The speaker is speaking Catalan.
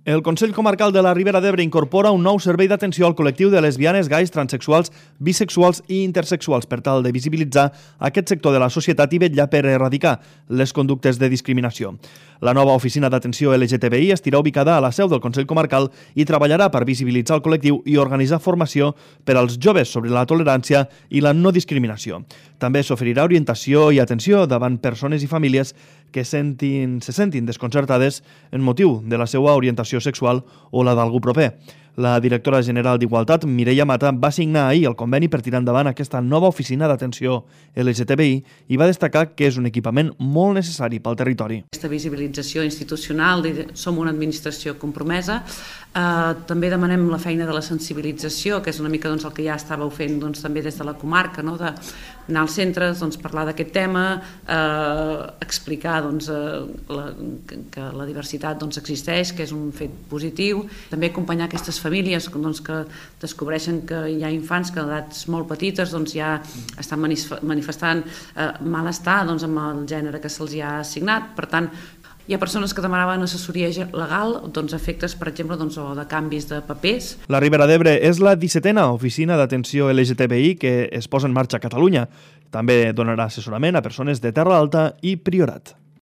El Consell Comarcal de la Ribera d'Ebre incorpora un nou servei d'atenció al col·lectiu de lesbianes, gais, transexuals, bisexuals i intersexuals per tal de visibilitzar aquest sector de la societat i vetllar per erradicar les conductes de discriminació. La nova oficina d'atenció LGTBI estarà ubicada a la seu del Consell Comarcal i treballarà per visibilitzar el col·lectiu i organitzar formació per als joves sobre la tolerància i la no discriminació. També s'oferirà orientació i atenció davant persones i famílies que se sentin desconcertades en motiu de la seva orientació sexual o la d'algú proper. La directora general d'Igualtat, Mireia Mata, va signar ahir el conveni per tirar endavant aquesta nova oficina d'atenció LGTBI i va destacar que és un equipament molt necessari pel territori. Aquesta visibilització institucional, som una administració compromesa, també demanem la feina de la sensibilització, que és una mica el que ja estàveu fent també des de la comarca, d'anar als centres, parlar d'aquest tema, explicar que la diversitat existeix, que és un fet positiu, també acompanyar aquestes famílies que descobreixen que hi ha infants que a edats molt petites ja estan manifestant malestar amb el gènere que se'ls ha assignat. Per tant, hi ha persones que demanaven assessoria legal, efectes, per exemple, o de canvis de papers. La Ribera d'Ebre és la 17a oficina d'atenció LGTBI que es posa en marxa a Catalunya. També donarà assessorament a persones de Terra Alta i Priorat.